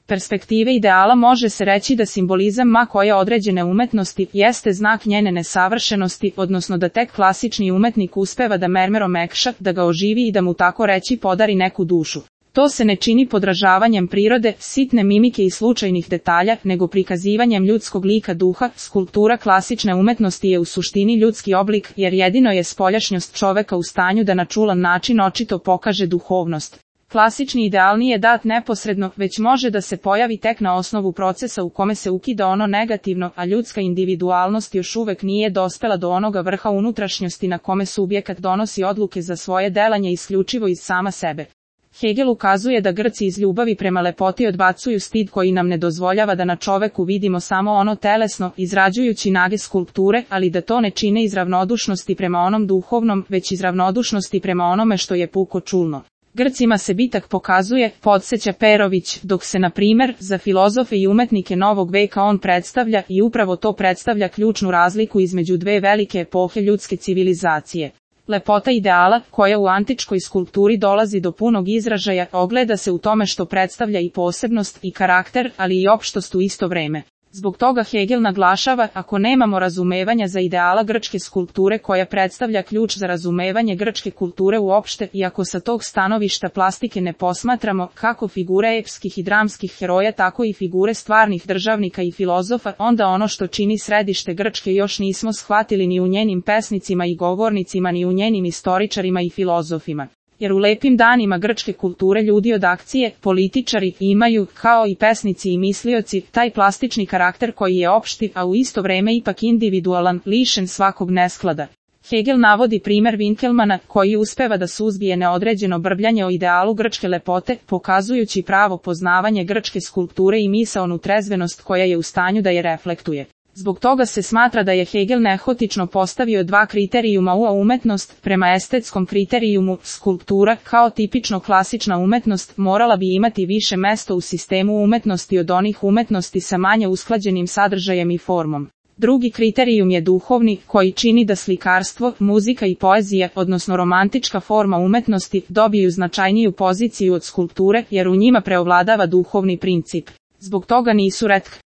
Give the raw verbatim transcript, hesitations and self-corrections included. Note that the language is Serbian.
perspektive ideala može se reći da simbolizam ma koje određene umetnosti jeste znak njene nesavršenosti, odnosno da tek klasični umetnik uspeva da mermer omekša, da ga oživi i da mu tako reći podari neku dušu. To se ne čini podražavanjem prirode, sitne mimike i slučajnih detalja, nego prikazivanjem ljudskog lika duha. Skulptura klasične umetnosti je u suštini ljudski oblik, jer jedino je spoljašnjost čoveka u stanju da na čulan način očito pokaže duhovnost. Klasični ideal nije dat neposredno, već može da se pojavi tek na osnovu procesa u kome se ukida ono negativno, a ljudska individualnost još uvek nije dospela do onoga vrha unutrašnjosti na kome subjekat donosi odluke za svoje delanje isključivo iz sama sebe. Hegel ukazuje da Grci iz ljubavi prema lepoti odbacuju stid koji nam ne dozvoljava da na čoveku vidimo samo ono telesno, izrađujući nage skulpture, ali da to ne čine iz ravnodušnosti prema onom duhovnom, već iz ravnodušnosti prema onome što je puko čulno. Grcima se bitak pokazuje, podsjeća Perović, dok se na primer za filozofe i umetnike novog veka on predstavlja i upravo to predstavlja ključnu razliku između dve velike epohe ljudske civilizacije. Lepota ideala, koja u antičkoj skulpturi dolazi do punog izražaja, ogleda se u tome što predstavlja i posebnost i karakter, ali i opštost u isto vreme. Zbog toga Hegel naglašava, ako nemamo razumevanja za ideala grčke skulpture koja predstavlja ključ za razumevanje grčke kulture uopšte, i ako sa tog stanovišta plastike ne posmatramo kako figure epskih i dramskih heroja tako i figure stvarnih državnika i filozofa, onda ono što čini središte Grčke još nismo shvatili ni u njenim pesnicima i govornicima ni u njenim istoričarima i filozofima. Jer u lepim danima grčke kulture ljudi od akcije, političari, imaju, kao i pesnici i mislioci, taj plastični karakter koji je opšti, a u isto vreme ipak individualan, lišen svakog nesklada. Hegel navodi primer Winkelmana, koji uspeva da suzbije neodređeno brbljanje o idealu grčke lepote, pokazujući pravo poznavanje grčke skulpture i misaonu trezvenost koja je u stanju da je reflektuje. Zbog toga se smatra da je Hegel nehotično postavio dva kriterijuma u umetnost. Prema estetskom kriterijumu, skulptura, kao tipično klasična umetnost, morala bi imati više mesto u sistemu umetnosti od onih umetnosti sa manje usklađenim sadržajem i formom. Drugi kriterijum je duhovni, koji čini da slikarstvo, muzika i poezija, odnosno romantička forma umetnosti, dobiju značajniju poziciju od skulpture, jer u njima preovladava duhovni princip. Zbog toga nisu retke